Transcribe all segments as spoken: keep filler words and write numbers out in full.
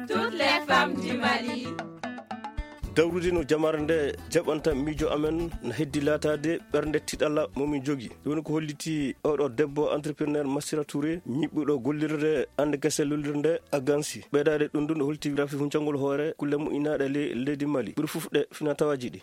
Toutes les femmes du Mali. Dawrude no jamaare nde jaɓanta miijo amen, no heddi laataade ɓernde tiɗalla mo min jogi. Ɗum woni ko holliti oɗo debbo entrepreneur Massira Touré, ñiɓɓuɗo gollirde annde kese lollirde Agansi. Ɓeydaade ɗum ɗum, o holti rafi huncangol hoore kulle moƴƴinaaɗe le-, leydi Mali. Ɓuri fof ɗe fina tawaaji ɗi.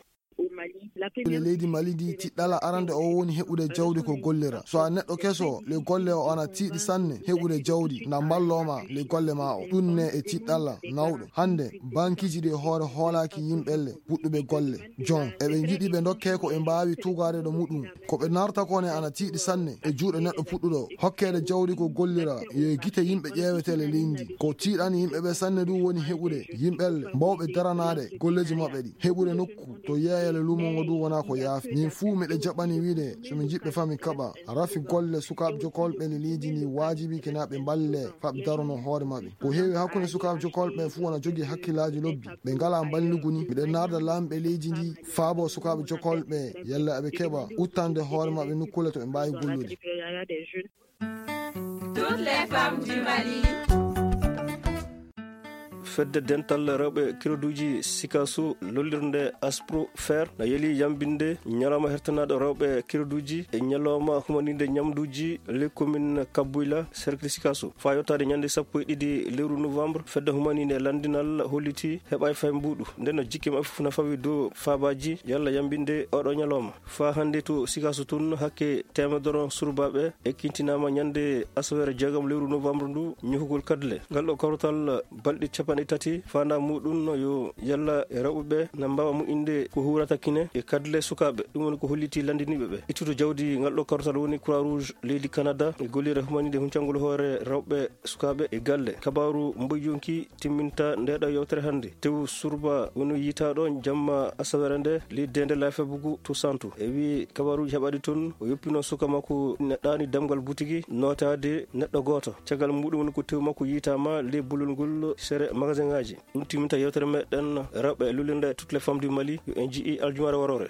E leydi Mali ndi, tiɗɗalla arande o woni heɓude jawdi ko gollira. So a neɗɗo keso, le golle o ana tiiɗi sanne heɓude jawdi, na mballoo ma le golle ma o. Ɗum ne e tiɗɗalla nawɗo. Hannde, bankiiji ɗi hoore hoolaaki yimɓe le puɗɗuɓe golle. Jon, eɓe njiɗi ɓe ndokke ko ɓe mbaawi tugaade ɗo muɗum. Ko ɓe narta ko ne ana tiiɗi sanne e juuɗe neɗɗo puɗɗuɗo. Hokkeede jawdi ko gollira, yo e gite yimɓe ƴeewete le leydi ndi. Ko tiiɗani yimɓe ɓe sanne ɗum woni heɓude yimɓe le mbawɓe daranaade golleeji maɓɓe ɗi. Heɓude nokku to yeeyale luumo ngo ɗum wona ko yaafi. Min fuu miɗe jaɓani wiide, so min njiɗɓe fami kaɓa, rafi golle sukaaɓe jokolɓe le leydi ndi waajibi kina ɓe mballe faɓe darono hoore maɓɓe. Ko heewi hakkunde sukaaɓe jokolɓe fuu wona jogii hakkillaaji lobbi. Ɓe ngalaa mballugu ni. Miɗen naarda laamɓe leydi ndi faabo sukaaɓe jokolɓe yalla aɓe keɓa uttande hoore maɓɓe nokkuule to ɓe mbaawi gollude. Toutes les femmes du Mali. Fedde dental rewɓe kiroduuji Sikaso lollirnde Aspro Fer na yeli yambinde ñalawma hertanaaɗo rewɓe kiroduuji e ñalawma humaninde ñamduuji le commune Kabuyla, cercle Sikaso. Faa yottaade ñande sappo e ɗiɗi lewru novembre, fedde humaninde lanndinal holliti heɓaay fay mbuuɗu. Nden no jikke maɓɓe fof na fawi dow faabaaji yalla yambinde oɗo ñalawma. Faa hannde to Sikaso tun hakke teemedoro surbaaɓe ekkintinaama ñande asaweere jeegom lewru novembre ndu ñohugol kadle. Ngal ɗo kawtal balɗe capanɗe tati faandaa muɗum no yo yalla e rewɓe ɓe na mbaawa moƴƴinde ko huurata kine e kadle sukaaɓe. Ɗum woni ko holliti lanndiniiɓe ɓe. Ittude jawdi ngal ɗo kawtal woni Croix Rouge leydi Canada e gollirde humaninde huncangol hoore rewɓe sukaaɓe e galle. Kabaaru mboy yonki timminta nde ɗo yewtere hannde. Tew Surba woni yitaaɗo jamma asaweere nde, leydi nde Laafe Bugu to Santu. E wii kabaaruuji heɓaaɗi toon, o yoppino suka makko ina ɗaani damgal butigi nootaade neɗɗo gooto. Caggal muɗum woni ko tew makko yitaama ley bolol ngol sere magasin ŋaaji. Ɗum timminta yewtere meɗen rewɓe e lullirde Toutes les femmes du Mali, yo en njii aljumaare waroore.